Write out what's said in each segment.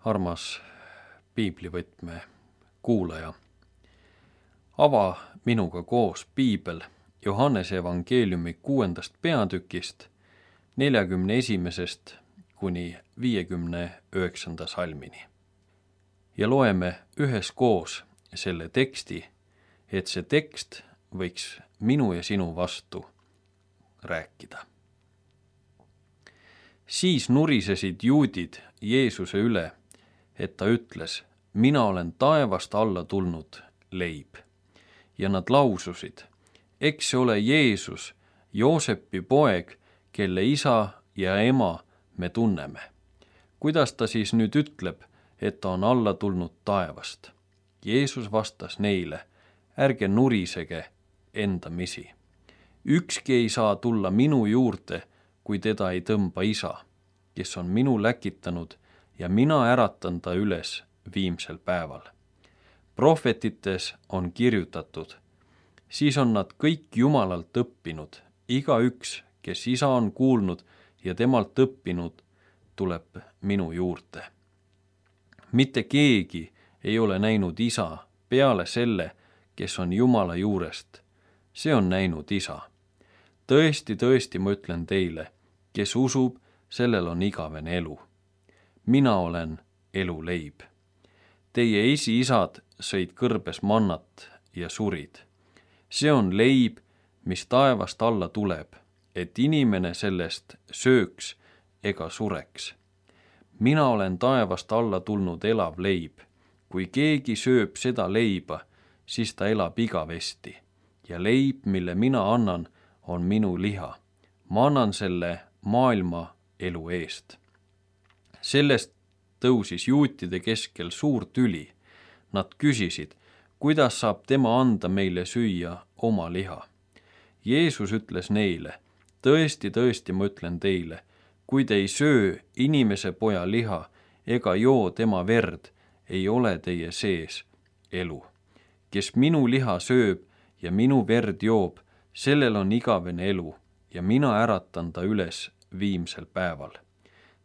Armas piiblivõtme kuulaja, ava minuga koos piibel Johannese evangeeliumi 6. peatükist 41. kuni 59. salmini. Ja loeme üheskoos selle teksti, et see tekst võiks minu ja sinu vastu rääkida. Siis nurisesid juudid Jeesuse üle, et ta ütles, mina olen taevast alla tulnud leib. Ja nad laususid, eks see ole Jeesus, Joosepi poeg, kelle isa ja ema me tunneme. Kuidas ta siis nüüd ütleb, et ta on alla tulnud taevast? Jeesus vastas neile, ärge nurisege endamisi. Ükski ei saa tulla minu juurde, kui teda ei tõmba isa, kes on minu läkitanud ja mina äratan ta üles viimsel päeval. Prohvetites on kirjutatud, siis on nad kõik Jumalalt õppinud, igaüks, kes isa on kuulnud ja temalt õppinud, tuleb minu juurde. Mitte keegi ei ole näinud isa peale selle, kes on Jumala juurest. See on näinud isa. Tõesti, tõesti, ma ütlen teile, kes usub, sellel on igavene elu. Mina olen elu leib. Teie esiisad sõid kõrbes mannat ja surid. See on leib, mis taevast alla tuleb, et inimene sellest sööks ega sureks. Mina olen taevast alla tulnud elav leib. Kui keegi sööb seda leiba, siis ta elab igavesti. Ja leib, mille mina annan, on minu liha. Ma annan selle maailma elu eest. Sellest tõusis juutide keskel suur tüli. Nad küsisid, kuidas saab tema anda meile süüa oma liha. Jeesus ütles neile, tõesti, tõesti, ma ütlen teile, kui te ei söö inimese poja liha ega joo tema verd, ei ole teie sees elu. Kes minu liha sööb ja minu verd joob, sellel on igavene elu ja mina äratan ta üles viimsel päeval.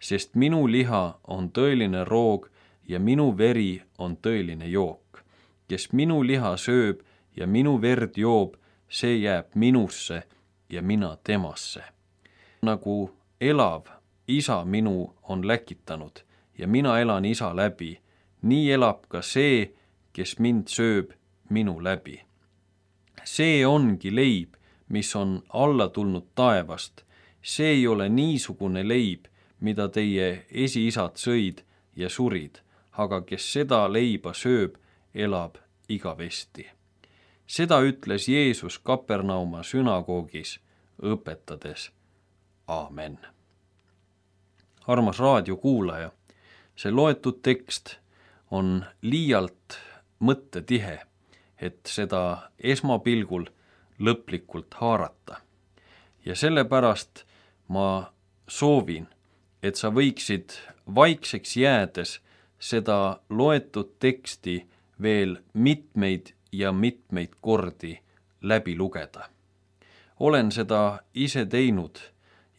Sest minu liha on tõeline roog ja minu veri on tõeline jook. Kes minu liha sööb ja minu verd joob, see jääb minusse ja mina temasse. Nagu elav isa minu on läkitanud ja mina elan isa läbi, nii elab ka see, kes mind sööb minu läbi. See ongi leib, mis on alla tulnud taevast. See ei ole niisugune leib, mida teie esiisad sõid ja surid, aga kes seda leiba sööb, elab igavesti. Seda ütles Jeesus Kapernauma sünagoogis õpetades. Aamen. Armas raadiokuulaja, see loetud tekst on liialt mõttetihe, et seda esmapilgul lõplikult haarata. Ja sellepärast ma soovin, et sa võiksid vaikseks jäädes seda loetud teksti veel mitmeid ja mitmeid kordi läbi lugeda. Olen seda ise teinud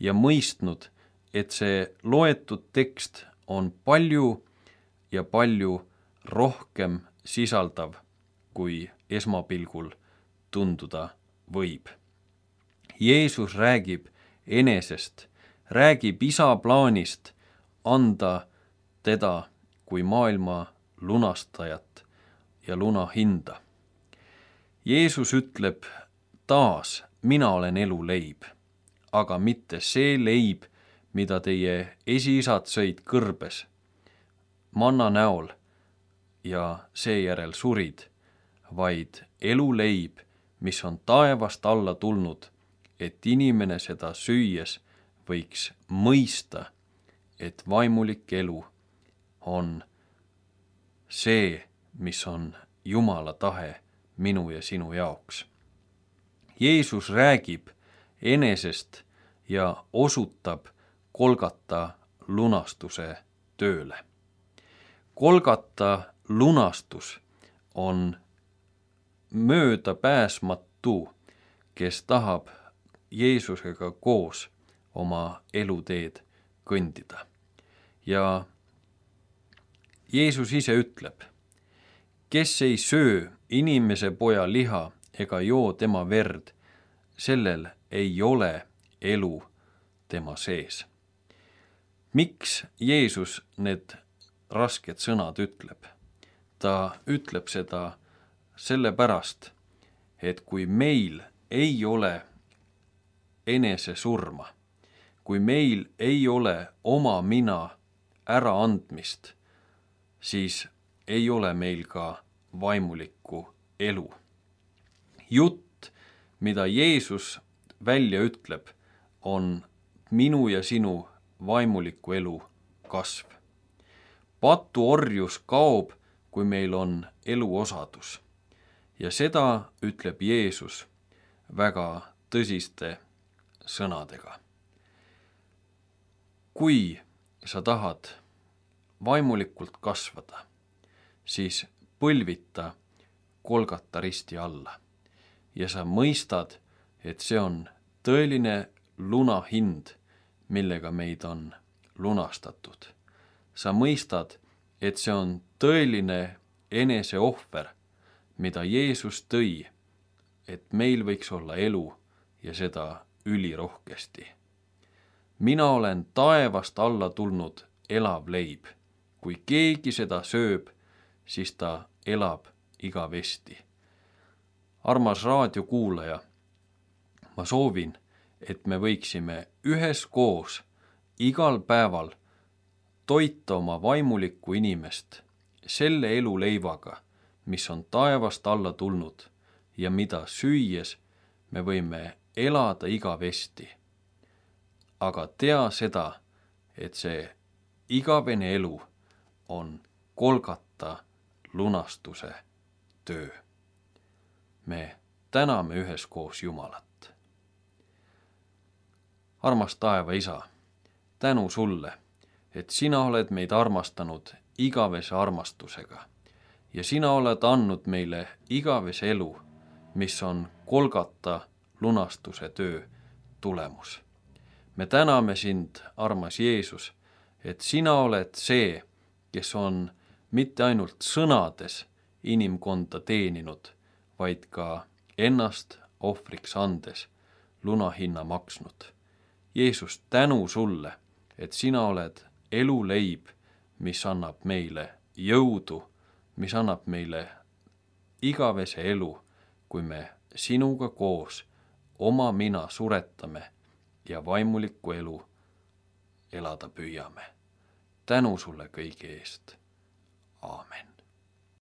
ja mõistnud, et see loetud tekst on palju ja palju rohkem sisaldav, kui esmapilgul tunduda võib. Jeesus räägib enesest, räägib isa plaanist anda teda kui maailma lunastajat ja lunahinda. Jeesus ütleb taas, mina olen elu leib, aga mitte see leib, mida teie esiisad sõid kõrbes manna näol ja seejärel surid, vaid elu leib, mis on taevast alla tulnud, et inimene seda süües võiks mõista, et vaimulik elu on see, mis on Jumala tahe minu ja sinu jaoks. Jeesus räägib enesest ja osutab Golgata lunastuse tööle. Golgata lunastus on möödapääsmatu, kes tahab Jeesusega koos oma eluteed kõndida. Ja Jeesus ise ütleb, kes ei söö inimese poja liha ega joo tema verd, sellel ei ole elu tema sees. Miks Jeesus need rasked sõnad ütleb? Ta ütleb seda sellepärast, et kui meil ei ole enesesurma, kui meil ei ole oma mina äraandmist, siis ei ole meil ka vaimulikku elu. Jutt, mida Jeesus välja ütleb, on minu ja sinu vaimuliku elu kasv. Patuorjus kaob, kui meil on eluosadus. Ja seda ütleb Jeesus väga tõsiste sõnadega. Kui sa tahad vaimulikult kasvada, siis põlvita Golgata risti alla ja sa mõistad, et see on tõeline lunahind, millega meid on lunastatud. Sa mõistad, et see on tõeline eneseohver, mida Jeesus tõi, et meil võiks olla elu ja seda ülirohkesti. Mina olen taevast alla tulnud elav leib. Kui keegi seda sööb, siis ta elab igavesti. Armas raadiokuulaja, ma soovin, et me võiksime üheskoos igal päeval toita oma vaimulikku inimest selle eluleivaga, mis on taevast alla tulnud ja mida süües me võime elada igavesti. Aga tea seda, et see igavene elu on Golgata lunastuse töö. Me täname üheskoos Jumalat. Armas taeva Isa, tänu sulle, et sina oled meid armastanud igavese armastusega ja sina oled andnud meile igavese elu, mis on Golgata lunastuse töö tulemus. Me täname sind, armas Jeesus, et sina oled see, kes on mitte ainult sõnades inimkonda teeninud, vaid ka ennast ohvriks andes lunahinna maksnud. Jeesus, tänu sulle, et sina oled eluleib, mis annab meile jõudu, mis annab meile igavese elu, kui me sinuga koos oma mina suretame ja vaimulikku elu elada püüame. Tänu sulle kõige eest. Aamen.